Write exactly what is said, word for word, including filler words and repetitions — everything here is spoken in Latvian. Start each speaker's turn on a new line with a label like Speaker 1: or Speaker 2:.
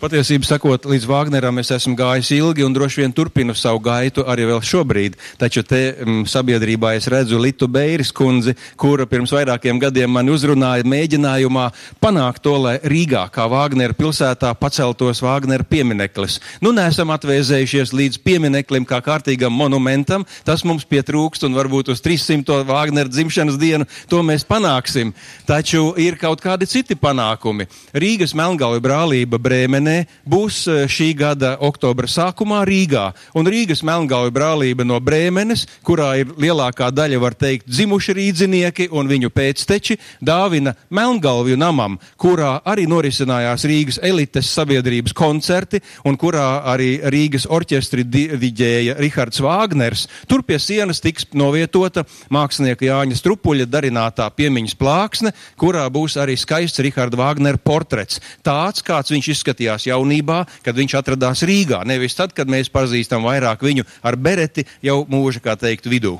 Speaker 1: Patiesību sakot, līdz Vāgneram es esmu gājis ilgi un droši vien turpinu savu gaitu arī vēl šobrīd. Taču te m, sabiedrībā es redzu Litu Beiris kundzi, kura pirms vairākiem gadiem mani uzrunāja mēģinājumā panākt to, lai Rīgā, kā Vāgnera pilsētā, paceltos Vāgnera piemineklis. Nu, neesam atvēzējušies līdz piemineklim kā kārtīgam monumentam, tas mums pietrūkst un varbūt uz trīssimto Vāgnera dzimšanas dienu to mēs panāksim. Taču ir kaut kādi citi panākumi. Rīgas Melngalvi brālība Brēmenē būs šī gada oktobra sākumā Rīgā. Un Rīgas Melngalvi brālība no Brēmenes, kurā ir lielākā daļa, var teikt, dzimuši rīdzinieki un viņu pēcteči, dāvina Melngalvju namam, kurā arī norisinājās Rīgas elites sabiedrības koncerti un kurā arī Rīgas orķestri diģēja Rihards Vāgners. Tur pie sienas tiks novietota mākslinieka Jāņa Strupuļa darinātā piemiņas plāksne, kurā būs arī skaists Riharda Vāgnera portrets. Tāds, kāds viņš izskatījās jaunībā, kad viņš atradās Rīgā. Nevis tad, kad mēs pazīstam vairāk viņu ar bereti jau mūža, kā teikt, vidū.